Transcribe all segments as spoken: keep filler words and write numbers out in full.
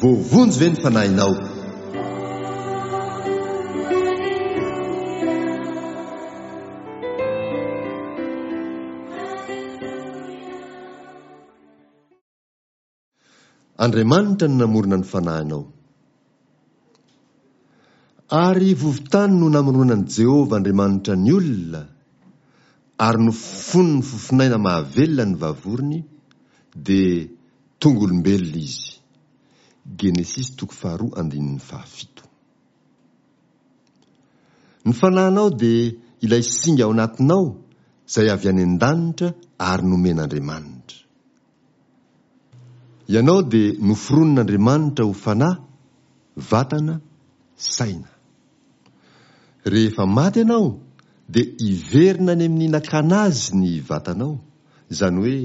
Voavonjy ve ny fanahinao? Andriamanitra no namorona ny fanahinao. Ary vovon-tany no namoronan'i Jehovah Andriamanitra ny olona, ary nofofoniny fofonaina mahavelona ny vavorony, dia tonga olombelona izy. Genesisy toko faharoa andininy fahafito. Ny fanahinao dia ilay singa ao anatinao izay avy any an-danitra ary nomen'Andriamanitra. Ianao dia noforonin'Andriamanitra ho fanahy, vatana, saina. Rehefa maty ianao dia hiverina any amin'ny nakana azy ny vatanao, izany hoe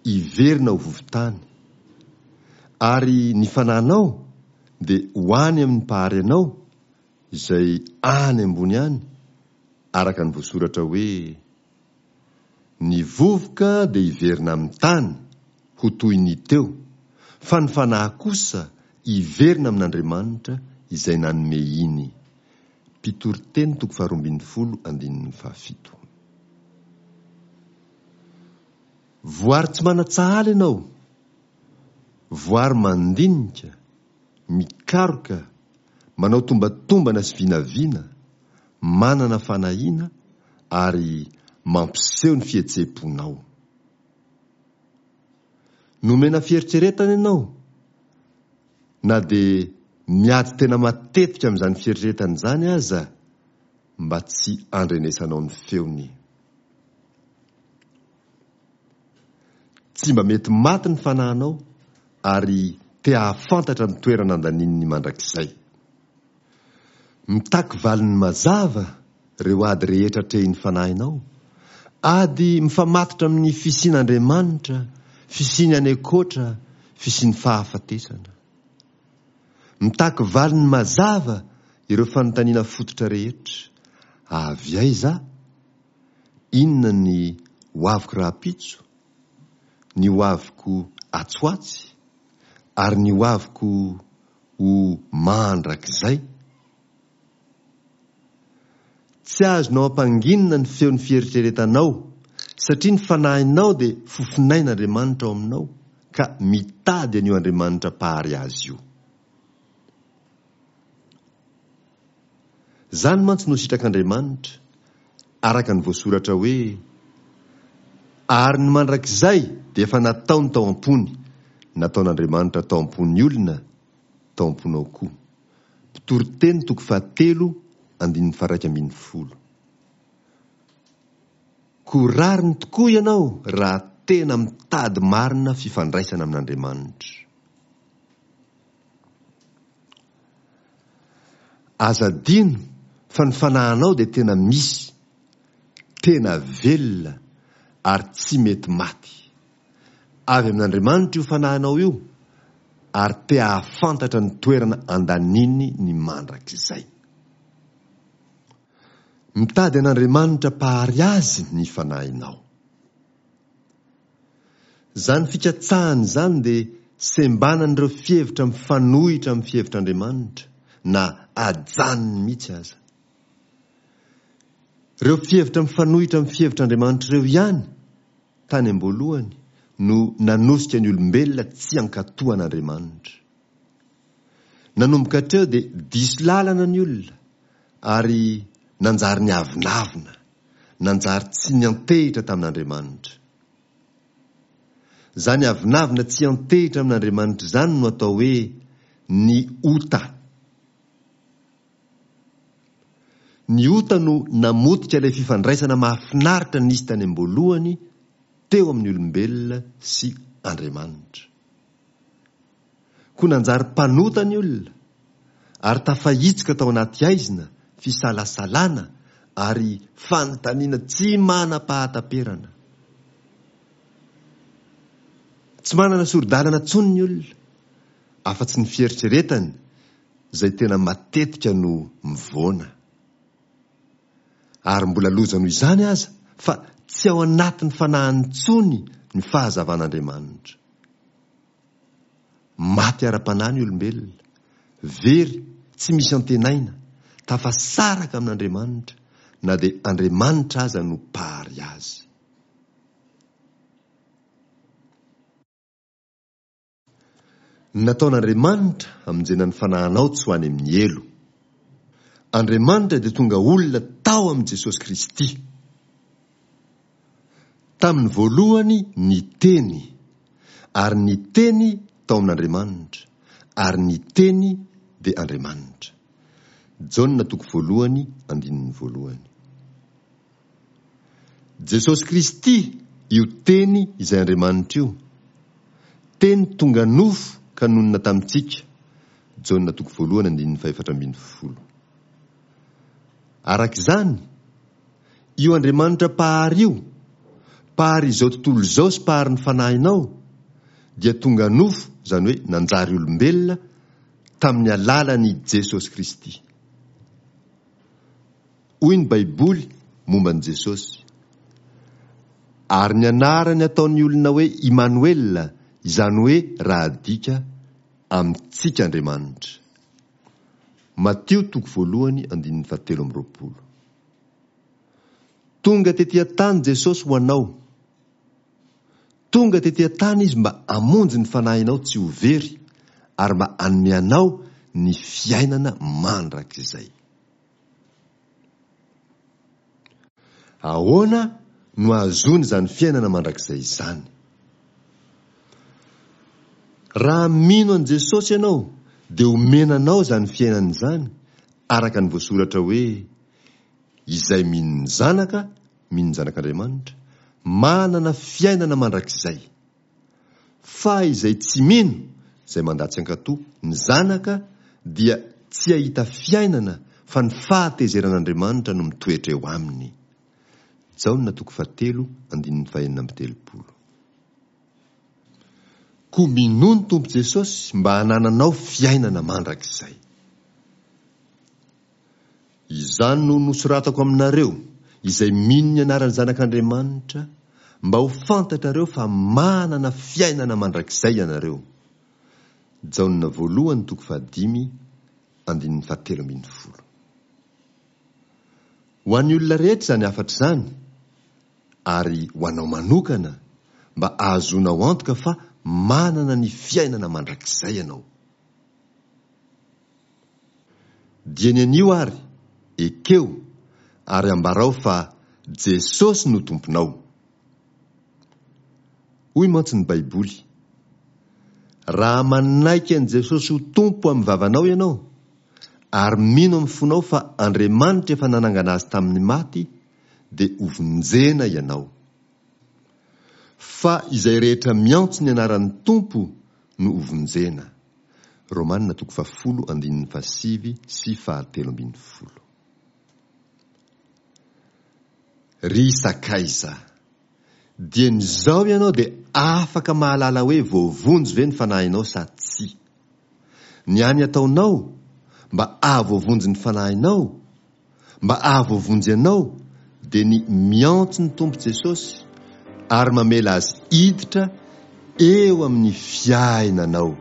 hiverina ho vovon-tany. Ary ny fanahinao dia ho any amin'ny Mpahary anao izay any ambony any, araka ny voasoratra hoe, Ny vovoka dia hiverina amin'ny tany ho toy ny teo, fa ny fanahy kosa hiverina amin'Andriamanitra izay nanome iny. Mpitoriteny toko faharoa ambin'ny folo andininy fahafito. Voary tsy manan-tsahala ianao, voary mandinika, mikaroka, manao tombatombana sy vinavina, manana fanahiana ary mampiseho ny fihetseham-ponao. Nomena fieritreretana ianao, na dia miady tena matetika amin'izany fieritreretana izany aza mba tsy andrenesanao ny feony. Tsy mba mety maty ny fanahinao ary te hahafantatra ny toerana andaniny mandrakizay. Mitaky valiny mazava ireo ady rehetra atrehin'ny fanahinao, ady mifamatotra amin'ny fisian'Andriamanitra, fisiany any ankoatra, fisian'ny fahafatesana. Mitaky valiny mazava ireo fanontaniana fototra rehetra, Avy aiza aho? Inona ny hoaviko rahampitso? Ny hoaviko atsy ho atsy? Ary ny hoaviko ho mandrakizay? Tsy azonao ampanginina ny feon'ny fieritreretanao, satria ny fanahinao dia fofonain'Andriamanitra ao aminao ka mitady an'io Andriamanitra Mpahary azy io. Izany mantsy no sitrak'Andriamanitra, araka ny voasoratra hoe, Ary ny mandrakizay dia efa nataony tao am-pony, nataon'Andriamanitra tao am-pon'ny olona, tao am-ponao koa. Mpitoriteny toko fahatelo andininy faharaika ambin'ny folo. Koa rariny tokoa ianao raha tena mitady marina fifandraisana amin'Andriamanitra. Aza adino fa ny fanahinao dia tena misy, tena velona ary tsy mety maty. Avy amin'Andriamanitra io fanahinao io ary te hahafantatra ny toerana andaniny ny mandrakizay. Mitady an'Andriamanitra Mpahary azy ny fanahinao. Izany fikatsahana izany dia sembanan'ireo fihevitra mifanohitra amin'ny fihevitr'Andriamanitra, na ajanony mihitsy aza. Ireo fihevitra mifanohitra amin'ny fihevitr'Andriamanitra ireo ihany, tany am-boalohany, no nanosika ny olombelona tsy hankatò an'Andriamanitra. Nanomboka hatreo dia diso lalana ny olona, ary nanjary niavonavona, nanjary tsy niantehitra tamin'Andriamanitra. Izany avonavona tsy hiantehitra amin'Andriamanitra izany no atao hoe ny ota. Ny ota no namotika ilay fifandraisana mahafinaritra nisy tany am-boalohany teo amin'ny olombelona sy Andriamanitra. Koa nanjary mpanota ny olona, ary tafahitsoka tao anaty haizina, fisalasalana ary fanontaniana tsy manam-pahataperana. Tsy manana sori-dalana intsony ny olona, afa-tsy ny fieritreretany izay tena matetika no mivoana. Ary mbola loza noho izany aza fa tsy ao anatin'ny fanahiny intsony ny fahazavan'Andriamanitra. Maty ara-panahy ny olombelona, very, tsy misy antenaina, tafasaraka amin'Andriamanitra, na dia Andriamanitra aza no mpahary azy. Nataon'Andriamanitra hamonjena ny fanahinao tsy ho any amin'ny helo. Andriamanitra dia tonga olona tao amin'i Jesosy Kristy. Tamin'ny voalohany ny Teny, ary ny Teny tao amin'Andriamanitra, ary ny Teny dia Andriamanitra. Jaona toko voalohany andininy voalohany. Jesosy Kristy io Teny izay Andriamanitra io. Teny tonga nofo ka nonina tamintsika. Jaona toko voalohany andininy fahefatra ambin'ny folo. Araka izany, io Andriamanitra mpahary io, mpahary izao tontolo izao sy mpahary ny fanahinao, dia tonga nofo, izany hoe nanjary olombelona, tamin'ny alalan'i Jesosy Kristy. Hoy ny Baiboly momba an'i Jesosy, Ary ny anarany ataon'ny olona hoe Imanoela, izany hoe raha adika, amintsika Andriamanitra. Matio toko voalohany andininy fahatelo amby roapolo. Tonga tety an-tany Jesosy ho anao. Tonga tety an-tany Izy mba hamonjy ny fanahinao tsy ho very ary mba hanome anao ny fiainana mandrakizay. Ahoana no ahazoana izany fiainana mandrakizay izany? Raha mino an'i Jesosy ianao dia omena anao izany fiainana izany araka ny voasoratra hoe izay mino ny Zanaka, mino ny Zanak'Andriamanitra, manana fiainana mandrakizay. Fa izay tsy mino, izay mandà tsy hankatò, ny Zanaka dia tsy hahita fiainana fa ny fahatezeran'Andriamanitra no mitoetra eo aminy. Jaona toko fahatelo andininy fahenina amby telopolo. Koa minoa ny Tompo Jesosy mba hanananao fiainana mandrakizay. Izany no nosoratako aminareo, izay mino ny anaran'ny Zanak'Andriamanitra, mba ho fantatrareo fa manana fiainana mandrakizay ianareo. Jaona voalohany toko fahadimy andininy fahatelo ambin'ny folo. Ho an'ny olona rehetra izany hafatra izany, ary ho anao manokana, mba ahazoanao antoka fa manana ny fiainana mandrakizay ianao. Dieny anio ary, ekeo ary ambarao fa Jesosy no Tomponao. Hoy mantsy ny Baiboly, Raha manaiky an'i Jesosy ho Tompo amin'ny vavanao ianao, ary mino amin'ny fonao fa Andriamanitra efa nanangana Azy tamin'ny maty, dia hovonjena ianao. Fa izay rehetra miantso ny anaran'ny Tompo no hovonjena. Romana toko fahafolo andininy fahasivy sy fahatelo ambin'ny folo. Ry sakaiza, dieny izao ianao dia afaka mahalala hoe voavonjy ve ny fanahinao sa tsia. Ny hany ataonao mba hahavoavonjy ny fanahinao, mba hahavoavonjy anao, dia ny miantso ny Tompo Jesosy ary mamela Azy hiditra eo amin'ny fiainanao.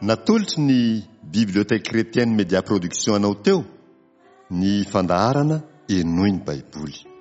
Natolotry ny Bibliothèque Chrétienne Média Production anao teo ny fandaharana Henoy ny Baiboly.